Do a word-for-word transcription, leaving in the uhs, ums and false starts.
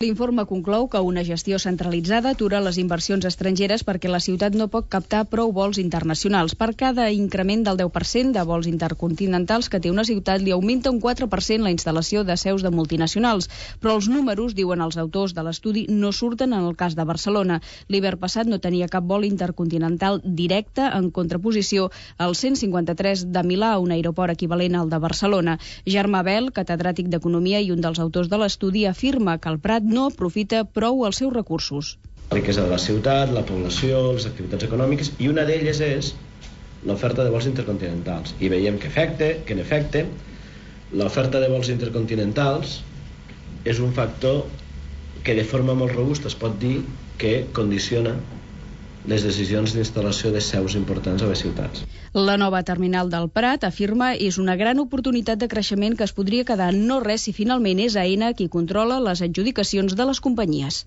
L'informe conclou que una gestió centralitzada atura les inversions estrangeres perquè la ciutat no pot captar prou vols internacionals. Per cada increment del deu per cent de vols intercontinentals que té una ciutat, li augmenta un quatre per cent la instal·lació de seus de multinacionals. Però els números, diuen els autors de l'estudi, no surten en el cas de Barcelona. L'hivern passat no tenia cap vol intercontinental directe, en contraposició al cent cinquanta-tres de Milà, un aeroport equivalent al de Barcelona. Germà Bel, catedràtic d'Economia i un dels autors de l'estudi, afirma que el Prat no aprofita prou els seus recursos. La riquesa de la ciutat, la població, les activitats econòmiques, i una d'elles és l'oferta de vols intercontinentals. I veiem que, efecte, que en efecte, l'oferta de vols intercontinentals és un factor que de forma molt robusta es pot dir que condiciona les decisions d'instal·lació de seus importants a les ciutats. La nova terminal del Prat, afirma, és una gran oportunitat de creixement que es podria quedar en no res si finalment és Aena qui controla les adjudicacions de les companyies.